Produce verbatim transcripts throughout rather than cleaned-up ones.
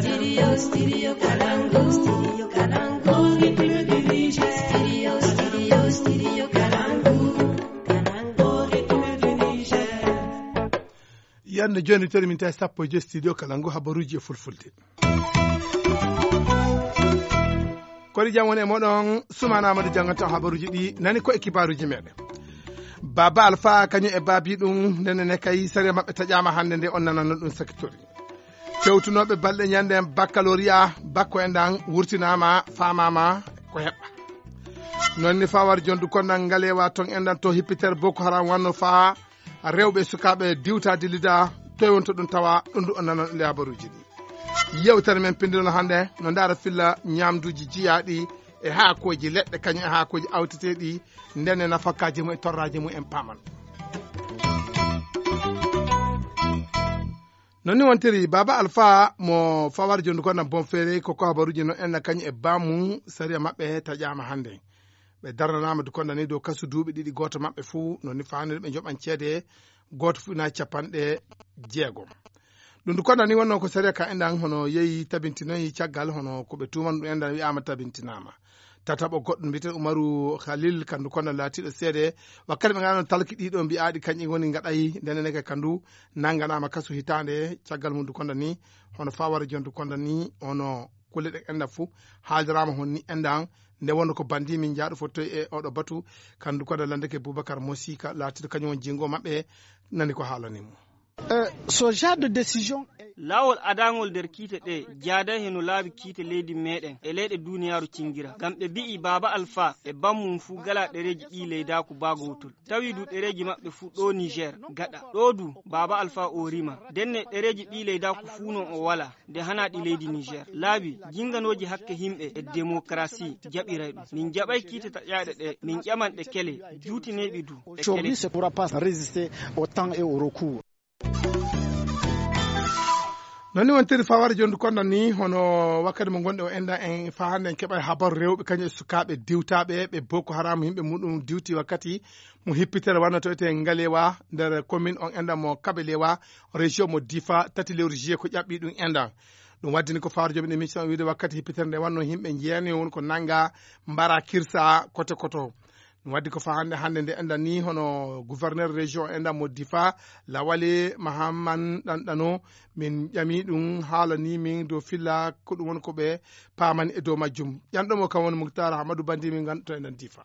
Studio, studio Kalangu, studio Kalangu, rythme du Niger. Studio, studio, studio Kalangu, Kalangu, rythme du Niger. Yande jooni, toɗi min tawi sappo e joyi studio Kalangu, habaruuji e fulfulde. Kori jam woni e moɗon, Sumana Amadou janngata habaruuji ɗi nani ko e kibaaruuji meɗen. Baba Alfa kañum e baabi ɗum, ndene ne kay sariya maɓɓe taƴaama hannde nde on nanano ɗum sakitori. Tewtunooɓe balɗe ñande en baccalauréat, bakko en ɗan wurtinaama, faamaama ko heɓɓa. Noon ni fawar jondu konnal ngalewa ton en ɗan to hippitere Boko Haram wanno faa rewɓe e sukaaɓe diwta dillida, toy wonto ɗum tawa, ɗum ɗum on nanan e habaruuji ɗi. Yewtere men pinndinol hannde no ndaara filla ñaamduuji jiyaaɗi e haakooji leɗɗe kañum e haakooji awteteeɗi, ndene nafakaaji mum e torraaji mum en paaman. Noon ni wontiri Baba Alfa mo fawar jondu konnal bon feere ko ko habaruuji no enna kañum e baamu sariya maɓɓe taƴaama hannde. Ɓe darnanaama dukonda ni dow kasu duuɓi ɗiɗi, gooto maɓɓe fuu no ni faaniri ɓe njoɓan ceede, gooto fuu ina capanɗe jeegom. Ɗum dukonda ni wonno ko sariya ka enɗan hono yehi tabintinoyi caggal hono ko ɓe tuuman ɗum enɗan wi'aama tabintinaama. Tataɓo goɗɗo mbiyeten Umaru Khalil kandu konda laatiiɗo seede wakkati ɓe nganano talki ɗiɗo mbi'aaɗi kañƴi woni ngaɗayi ndeneneke kandu nannganaama kasu hitaande caggal mum dukonda ni hono fawara jon dukonda ni hono kulle ɗe enɗan fuu haaldiraama hon ni enɗan. Nde wonno ko bandi min njaaɗo fottoy e oɗo batu kandu koda landeke Boubacar Mosika laatiɗo kañum won jingo maɓɓe. Nani ko haalani mo. Eh, so genre de décision. Laawol adangol nder kiite ɗe jaaday heno laabi kiite leydi meɗen e leyɗe duniyaaru cingira ngam ɓe mbi'i Baaba Alfa e bammum fuu gala ɗereeji ɓii leydaaku baa gowtol. Tawi du ɗereeji maɓɓe fuu ɗo Niger gaɗa ɗo du Baaba Alfa o rima ndenne ɗereeji ɓii leydaaku fuu non o wala. Nde hana ɗi leydi Niger laabi jinganooji hakke himɓe e démocratie jaɓiray ɗum. Min jaɓay kiite taƴaaɗe ɗe min ƴaman ɗe kele juutineeɓi du ɗe kele. Aujourd'hui c'est pour pas résister au temps et au recours. Noon ni wontiri faware jondu konda ni hono wakkati mo gonɗe o enda en fa hannde en keɓa habaru rewɓe kañum e sukaaɓe diwtaaɓe ɓe Boko Haram yimɓe muɗum diwti wakkati mo hippitere wanno to ete Ngalewa nder commune on enda mo Kabelewa région mo Difa tati lewru juillet ko ƴaɓɓi ɗum enda. Ɗum waddini ko fawre joom en émission wiide wakkati hippitere nde wanno yimɓe jeene woni ko nanga mbara kirsa kote koto. Ɗum waddi ko fa hannde hannde nde enɗan ni hono gouverneur région enɗan mo Difa Lawali Mahamman ɗanɗano min ƴami ɗum haalani min dow filla ko ɗum woni ko ɓe paamani e dow majjum. Ƴanɗo mo kam woni Muktar Amadou Bandi min ngannduto enɗan Difa.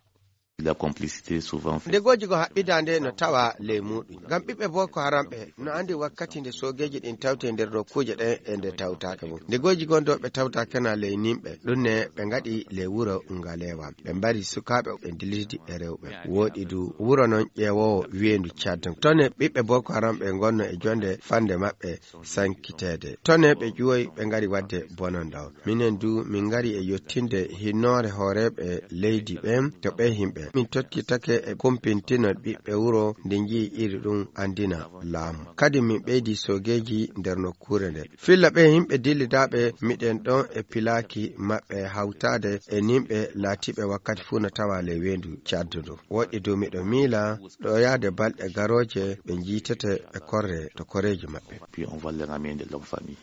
La complicité souvent fait. Ndegoji ko haɓɓidaande no tawa ley muɗum ngam ɓiɓɓe Boko Haram ɓe no andi wakkati nde soogeeji ɗin tawte nder nokkuuje ɗen e nde tawtaake mum. Ndegoji gon ɗo ɓe tawtaake na ley nimɓe ɗum ne ɓe ngaɗi ley wuro Ngalewa ɓe mbari sukaaɓe ɓe dilidi e rewɓe. Woɗi du wuro non ƴeewoowo weendu Tchad ton e ɓiɓɓe Boko Haram ɓe ngonno e jonde fande maɓɓe sankiteede. Tone ɓe ƴuwoy ɓe ngari wadde bononda o. Minen du min ngari e yottinde hinnoore hooreeɓe leydi ɓen to ɓe himɓe. Min tokkitake e kumpintino ɓiɓɓe wuro nde njiyi iri ɗum andina laamu. Kadi min ɓeydi soogeeji nder nokkuure nde. Filla ɓe himɓe dillidaaɓe miɗen ɗon e pilaaki maɓɓe hawtaade e nimɓe laatiiɓe wakkati fuu no tawa ley weendu Tchad ndu. Woɗɗi du miɗo miila ɗo yaade balɗe garooje ɓe njiitete e korre to koreeji maɓɓe. Puis on va les ramener de leur famille.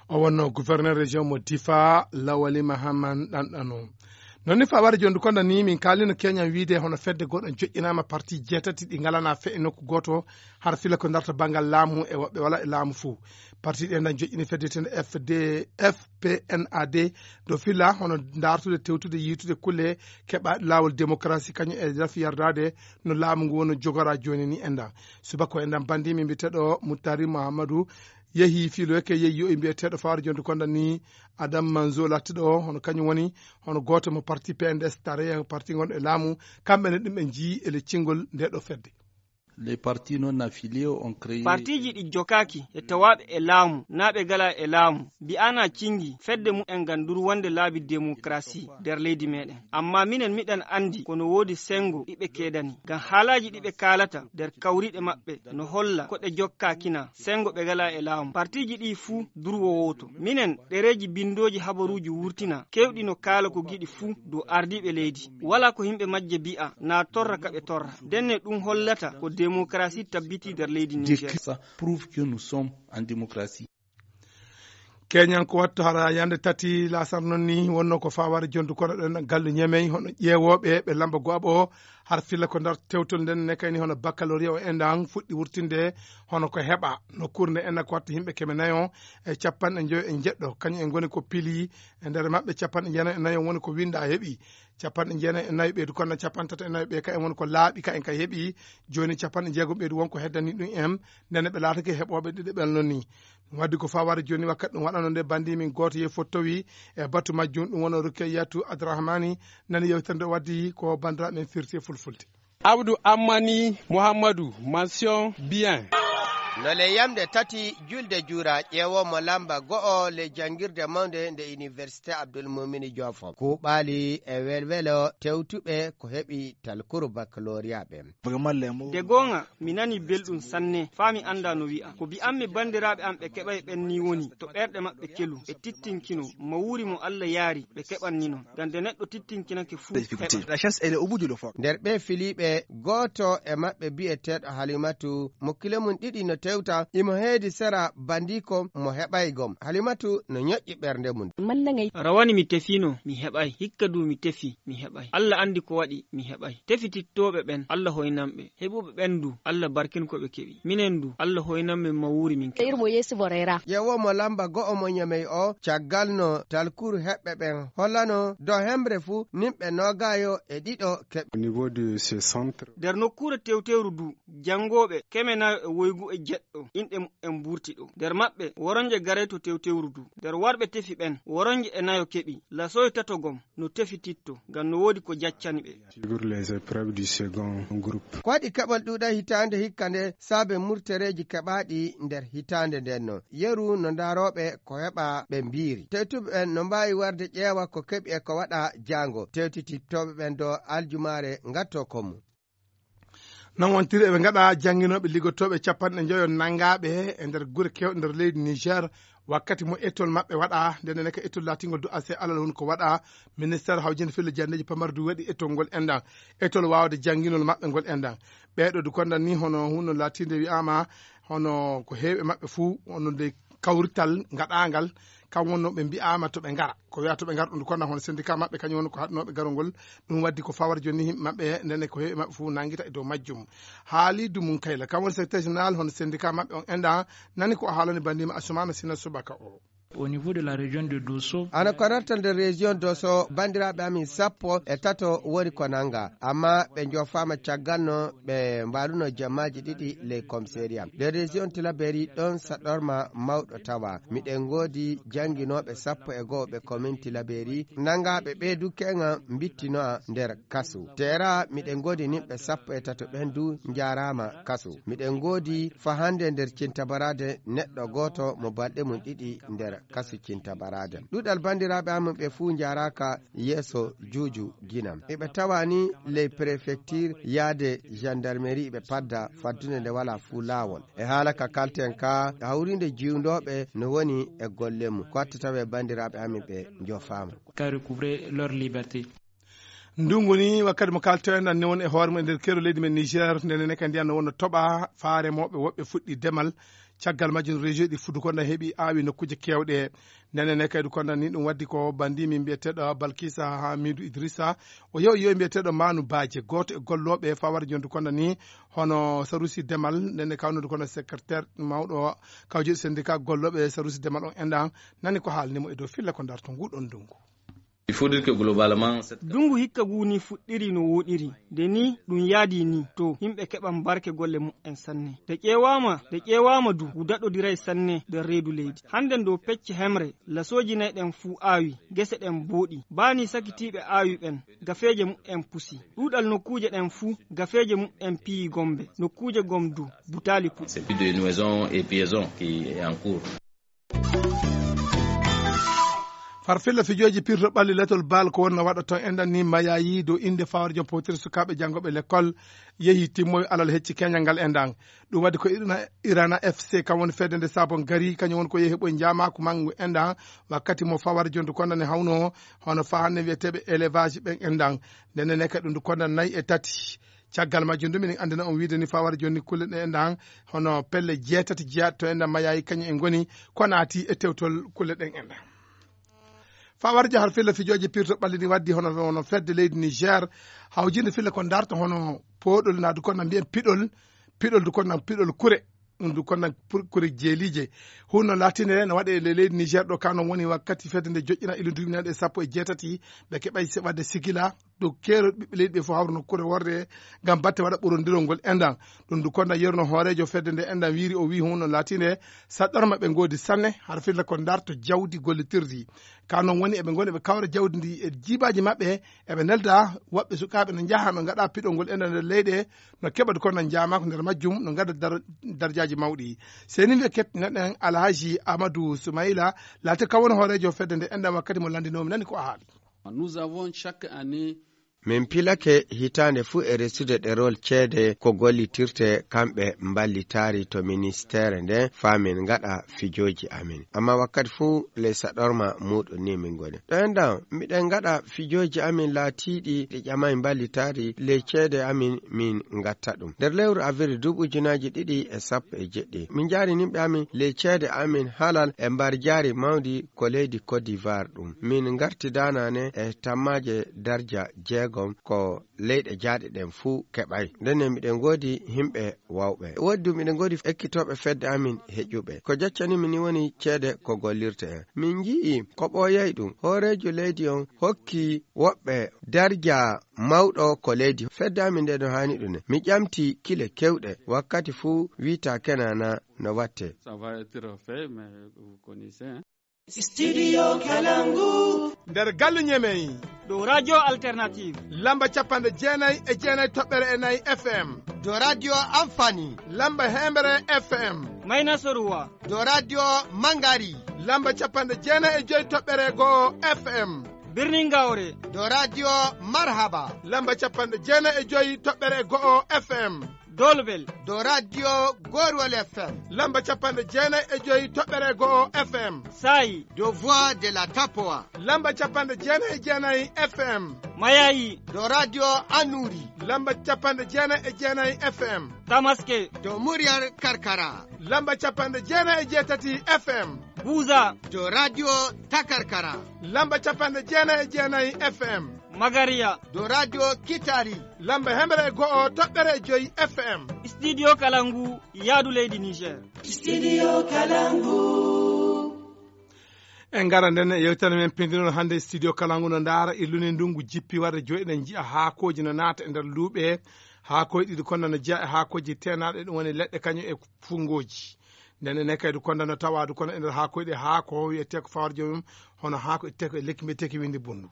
O wonno gouverneur région mo Difa Lawali Mahaman ɗanɗano. Noon ni fa wara jondu konda ni min kaalino keñan wiide hono fedde goɗɗo joƴƴinaama parti jeetati ɗi ngalana fe e nokku gooto har fila ko darta banngal laamu e woɓɓe wala e laamu fuu. Parti ɗen ɗan joƴƴini fedde tende F D F P N A D do fila hono dartude tewtude yiitude kulle keɓa laawol démocratie kañum e rafi yardaade no laamu ngu wono jogora jooni ni enɗan. Subaka ko enɗan bandi min mbiyeteɗo Muttari Muhammadu yehi fiiloyke yehi yo'i mbiyeteeɗo fawre jonde konda ni Adam Manzo lattiɗo o hono kañum woni hono gooto mo parti P N D S tareya parti gonɗo e laamu. Kamɓe ne ɗum ɓe njii e leccingol nde ɗo fedde. Les partis non affiliés ont créé. Partiji ɗi jokaaki e tawaaɓe e laamu naa ɓe gala e laamu mbi'ana cingi fedde mumen ngam durwande laabi démocratie nder leydi meɗen. Amma minen miɗen andi kono woodi sengo ɗiɓe keedani ngam haalaji ɗiɓe kaalata nder kawriɗe maɓɓe no holla ko ɗe jokkaakina sengo ɓe gala e laamu. Partiji ɗi fuu durwo wooto. Minen ɗereeji binndooji habaruuji wurtina keewɗi no kaala ko giɗi fuu dow ardiiɓe leydi. Walaa ko yimɓe majje mbi'a naa torra ka ɓe torra. Ndenne ɗum hollata ko demokarasi tabbitii nder leydi Niger. Ça prouve que nous sommes en démocratie. Keñan ko wattu hara yande tati lasar noon ni wonno ko faware jondu kono ɗen gallu ñemey hono ƴeewooɓe ɓe lamba go'aɓo o. Har filla ko ndar tewtol nden ne kayni hono baccalauréat o endan fuɗɗi wurtinde hono ko heɓa. Nokkuure nde enna ko wattu yimɓe keme nayo e capanɗe njoyo e jeɗɗo kañum en ngoni ko pili. E nder maɓɓe capanɗe jeenayo e nayo woni ko winda heɓi. Capanɗe jeenayo e nayo ɓeydu kono capanɗe tato e nayo ɓe ka en woni ko laaɓi ka en ka heɓi. Joni capanɗe jeegom ɓeydu won ko heddani ɗum en. Ndene ɓe laatake heɓooɓe ɗiɗo ɓel noon ni. Ɗum waddi ko faware joni wakkati ɗum waɗano nde bandi min goto yehi fottowi e batu majjum ɗum wona Rukeyatu Adrahmani. Nani yewtere nde waddi ko bandiraɓe men firti e fulfulde. Abdou Ammani Mouhamadou, mention bien. No le yamde tati julde juura ƴeewo mo lamba go'o le jangirde mawnde nde université Abdoul Moumini Diouf. Kuɓali e welwelo tewtuɓe ko heɓi talkuru baccalauréat ɓen. De goonga, mi nani belɗum sanne, faa mi anndaa no wi'a. Ko bi'ammi banndiraaɓe am ɓe keɓay ɓen nii woni, to ɓerɗe maɓɓe kelu, ɓe tittinkino, mawuuri mo Alla yaari, ɓe keɓanni non. Ngam de neɗɗo tittinkinake fuu, heɓa. La chance, elle est au bout de l'effort. Nder ɓee filiiɓe, gooto e maɓɓe bi'eteeɗo Halimatu, mo kile mum ɗiɗi no tewta, imo heedi sera bandiiko mo heɓay gom. Halimatu no ñoƴƴi ɓernde mum. Rawani mi tefiino, mi heɓay. Hikka du mi tefi, mi heɓay. Alla anndi ko waɗi, mi heɓay. Tefitittooɓe ɓen, Alla hoynan ɓe. Heɓuɓe ɓen du, Alla barkin ko ɓe keɓi. Minen du, Alla hoynan men mawuuri min keɓi. Ƴeewo mo lamba go'o mo ñamey o, caggal no talkuru heɓɓe ɓen hollano, do hemre fu, nimɓe noogaayo e ɗiɗo keɓi. Au niveau de ce centre. Nder nokkuure tewtewru du, janngooɓe keme nayo e woygu e jeɗɗo, inɗe muɓɓen mburti ɗo. Nder maɓɓe, woronje garey to tewtewru du. Nder warɓe tefi ɓen, woronje e nayo keɓi. Lasoy tato gom, no tefititto, ngam no woodi ko jaccani ɓe. Suivre les épreuves du second groupe. Ko waɗi keɓal ɗuuɗa hitaande hikka nde saabe murtereeji keɓaaɗi nder hitaande nden no. Yeru no ndaarooɓe ko heɓa ɓe mbiiri. Tewtuɓe ɓen no mbaawi warde ƴeewa ko keɓi e ko waɗa jaango. Tewtitittooɓe ɓen do aljumaare ngatto ko mum. Non wontiri eɓe ngaɗa jannginooɓe liggotooɓe capanɗe njoyo nangaaɓe e nder gure keewɗe nder leydi Niger. Wakkati mo etol maɓɓe waɗa, nden ne ka etol laatingol du ase alal woni ko waɗa. Ministeer hawjinde fille jandeeji pamar du waɗi etol ngol enɗan. Etol waawde jannginol maɓɓe ngol enɗan. Ɓeeɗo du kondan ni hono hunno laatinde wi'aama hono ko heewi e maɓɓe fuu, hono nde kawrital ngaɗaangal, kam wonno ɓe mbi'aama to ɓe ngara. Ko wi'a to ɓe ngara ɗum, kono hono syndicat maɓɓe, kañum woni ko haɗnooɓe garogol. Ɗum waddi ko fawar jooni yimɓe maɓɓe, ndene ko heewi maɓɓe fof nanngita e dow majjum. Haalidu mum Kayla, kam woni secrétaire général hono syndicat maɓɓe on enɗan, nani ko o haalani bandiima Assoumana Sina Subaka o. Au niveau de la région de Dosso. Ana ko rarta nder région Dosso, banndiraaɓe amin sappo e tato woni ko nannga, amma ɓe jofaama caggal no ɓe mbaruno jamaaji ɗiɗi ley commissariat. Nder région Tilaberi ɗon saɗorma mawɗo tawa. Miɗen ngoodi jannginooɓe sappo e go'o ɓe commune Tilaberi, nanngaaɓe ɓee du keŋa mbittinoa nder kasu. Teera miɗen ngoodi nimɓe sappo e tato ɓen du njaaraama kasu. Miɗen ngoodi faa hannde nder Cintabaraade neɗɗo gooto mo balɗe mum ɗiɗi nder kasu Cintabaraade. Ɗuuɗal banndiraaɓe amin ɓe fuu njaaraaka yeeso juuju ginam. Eɓe tawa ni ley préfecture yaade gendarmerie ɓe padda faddude nde walaa fuu laawol. E haala ka kalten ka hawriinde jiwndooɓe no woni e golle mum. Ko watta tawe banndiraaɓe amin ɓe njofaama. Ka recouvrer leur liberté. Ndunngu ni wakkati mo kalten nan ne won e hoore mum e nder keero leydi men Niger, nde nene kadi ndiyan no wonno toɓa faare mawɓe woɓɓe fuɗɗi demal. Caggal majjum région ɗi fuɗɗi ko nda heɓi aawi nokkuuje keewɗe. Nde nene kadi ko nda ni ɗum waddi ko banndi min mbiyeteeɗo Balkisa Hamidu Idrissa. O yewi yewi mbiyeteeɗo Manu Baje, gooto e gollooɓe fawar jondu ko nda ni hono sarusi demal, nde ne kawnode kono secrétaire mawɗo kawjeeɗi syndicat gollooɓe sarusi demal on enɗan. Nani ko haalni mo e dow filla ko ndarto ngu ɗon ndunngu. Il faut dire que globalement, cette Ndunngu hikka ngu ni fuɗɗiri no wooɗiri. Nde ni ɗum yaadi ni to yimɓe keɓan barke golle muɓɓen sanne. Nde ƴeewaama, nde ƴeewaama du ngu daɗodiray sanne nder reedu leydi. Hannde ndo pecce hemre, lasooji nayi ɗen fuu aawi, gese ɗen booɗi. Baa ni sakitiiɓe aawi ɓen, gafeeje muɓɓen pusi. Ɗuuɗal nokkuuje ɗen fuu, gafeeje muɓɓen piyi gombe. Nokkuuje gom du, butaali puɗɗi. C'est plus de Nouaison et Piaison qui est en cours. Farfilla fijooji pirto ɓalli letol baal ko wonno waɗa toon enɗan ni mayayi dow innde fawre jom powtiri sukaaɓe janngooɓe lekkol yehi timmoyi alal hecci keñal ngal enɗan. Ɗum waɗi ko Irana, Irana F C kam woni fedde nde sabon gari kañum woni ko yehi heɓoy njaamaaku manngu enɗan wakkati mo fawar jondu kondane hawno hono fahanne wiyeteeɓe élevage ɓen enɗan. Ndenne ne kadi ɗum ndu kondan nayi e tati. Caggal majjum, ɗum enen anndina on wiide ni, fawara jooni kulle ɗen enɗan, hono pelle jeetati jeyaaɗe to enɗan mayayi, kañum en ngoni ko naati e tewtol kulle ɗen enɗan. Fawara jahar filla fijooji pirto ɓalli ni waddi hono, hono fedde leydi Niger, hawjinde filla ko darta hono pooɗol, naa du kon na mbiyen piɗol, piɗol du kon na piɗol kure. Ɗum du kon na pur-, kure jeeliije. Hunno laatinde no waɗe le leydi Niger ɗo, ka non woni wakkati fedde nde joƴƴina ilu duuɓi naaɗe sappo e jeetati, ɓe keɓay se-, waɗde sigila, dow keerol ɓiɓɓe leydi ɓe fof hawruno kure worre ngam batte waɗa ɓurondirol ngol enɗan. Ɗum du kon na yeruno hooreejo fedde nde enɗan wiiri, o wii hunno laatinde saɗɗorma ɓe ngoodi sanne, har filla ko darto jawdi gollitirdi. Ka non woni eɓe ngoni eɓe kawra jawdi ndi e jiibaaji maɓɓe, eɓe nelda woɓɓe sukaaɓe no njaha no ngaɗa piɗol ngol enɗan nder leyɗe, no keɓa du kon na njaamaako nder majjum, no ngaɗa dar-, darjaaji mawɗi. Seni wi e kettinanɗen Alhaji Amadou Soumaïla, laate kam woni hooreejo fedde nde enɗan wakkati mo lanndinoomi nani ko a haali. Nous avons chaque année Min pilake hitaande fuu e resude ɗerol ceede ko gollitirte kamɓe mballitaari to ministeere nden faa min ngaɗa fijooji amin. Amma wakkati fuu ley saɗorma muuɗum ni min ngoni. Ɗo enɗan, miɗen ngaɗa fijooji amin laatiiɗi ɗi ƴamay mballitaari ley ceede amin min ngatta ɗum. Nder lewru avril duuɓi ujunaaji ɗiɗi e sappo e jeɗɗi, min njaari nimɓe amin ley ceede amin halal e mbarjaari mawndi ko leydi Côte d'Ivoire ɗum. Min ngarti daanaane e tammaaje darja jeegom ko leyɗe jaaɗe ɗen fuu keɓay. Ndenne miɗen ngoodi himɓe wawɓe. Woodi du miɗen ngoodi ekkitooɓe fedde amin heƴuɓe. Ko jaccanimi ni woni ceede ko gollirte en. Min nji'i ko ɓooyay ɗum. Hooreejo leydi on hokki woɓɓe darja mawɗo ko leydi. Fedde amin nde no haani ɗum ne. Mi ƴamti kile kewɗe. Wakkati fuu wiita kenana no watte. Ça va être fait, mais vous connaissez, hein. Studio Kalangu. Nder galle Ñemey. Ɗo Radio Alternative. Lamba capanɗe jeenay e jeenay toɓɓere e nayi F M. Do Radio Amfani. Lamba hembre F M. Mayna Soruwa. Do Radio Mangari. Lamba capanɗe jeenay e joy toɓɓere go'o F M. Birnin Gawre. Do Radio Marhaba. Lamba capanɗe jeenay e joy toɓɓere go'o F M. Dolbel. Do Radio Gorwal F M. Lamba capanɗe jeenay e joy toɓɓere go'o F M. Sayi. Do Voix de la Tapoa. Lamba capanɗe jeenay e jeenay F M. Mayayi. Do Radio Anuri. Lamba capanɗe jeenay e jeenay F M. Tamaske. Do Muryar Karkara. Lamba capanɗe jeenay e jeetati F M. Buza. Do Radio Takarkara. Lamba capanɗe jeenay e jeenay F M. Magariya. Do Radio Kitari. Lamba hemre e go'o toɓɓere e joy F M. Studio Kalangu, yaadu leydi Niger. Studio Kalangu. En ngara nden e yewtere men pindinol hannde, Studio Kalangu no ndaara illuni ndungu jippi warde jooni, eɗen njiya haakooji no naata e nder luuɓe. Haakooji ɗiɗi kon no jeya e haakooji teenaaɗe, ɗum woni leɗɗe kañum e fungooji. Nden enen kadi kon no tawaade kono e nder haakooji ɗi, haako wiyetee ko fawar joomum, hono haako ittee ko e lekki mbiyetee ki windi bunndu.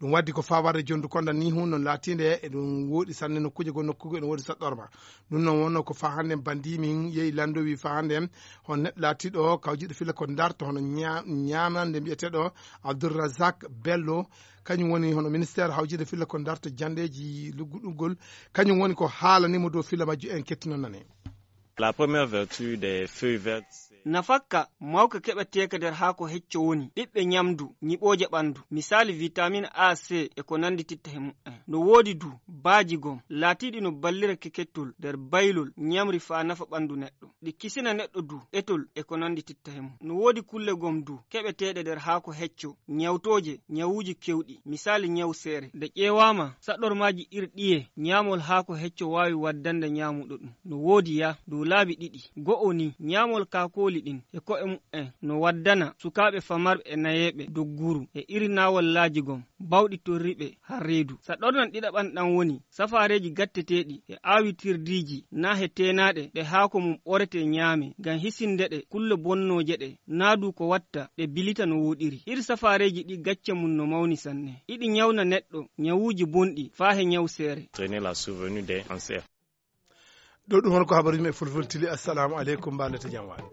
Ɗum waddi ko faa warde jondu konda ni hun non laatiinde e ɗum wooɗi sanne nokkuuje goo, nokkuuje goo ene woodi saɗɗorma. Ɗum noon wonno ko faa hannde banndi min yehi lanndo wi faa hannde hon neɗɗo laatiiɗo kawjiiɗo filla ko darto hono ña-, ñaamande mbiyeteeɗo Abdourrazak Bello, kañum woni hono ministère hawjiiɗo filla ko darto janndeeji lugguɗugol, kañum woni ko haalani mo dow filla majju en kettino nane. La première vertu des feuilles vertes, c'est nafakka mawka keɓeteeka nder haako hecco woni ɓiɓɓe ñamdu, ñiɓooje ɓanndu, misaali vitamine A, C e ko nanndititta he mumen. No woodi du baaji gom laatiiɗi no ballira kekettol nder baylol ñamri faa nafa ɓanndu neɗɗo. Ɗi kisina neɗɗo du etol e ko nanndititta he mum. No woodi kulle gom du keɓeteeɗe nder haako hecco, ñawtooje, ñawuuji kewɗi, misaali ñaw seere. Nde ƴeewaama, saɗormaaji ir ɗiye, ñaamol haako hecco waawi waddande ñaamuɗo ɗum. No woodi ya dow laabi ɗiɗi. Go'o ni, ñaamol kaakooli ɗin e ko'e mumen no waddana sukaaɓe famarɓe e nayeeɓe dogguru e irinaawol laaji gom bawɗi torriɓe har reedu. Saɗornan ɗiɗaɓan ɗan woni safaareeji gatteteeɗi e aawitirdiiji naa he teenaaɗe ɗe haako mum ɓoretee ñaamee ngam hisinde ɗe kulle bonnooje ɗe, naa du ko watta ɗe bilita no wooɗiri. Iri safaareeji ɗi gacce mum no mawni sanne. Iɗi ñawna neɗɗo ñawuuji bonɗi faa he ñaw seere. Entraîner la survenue des cancers. Ɗo ɗum hono ko habaruuji men fulfultili. Assalamu aleykum, mbaɗɗon jam waali.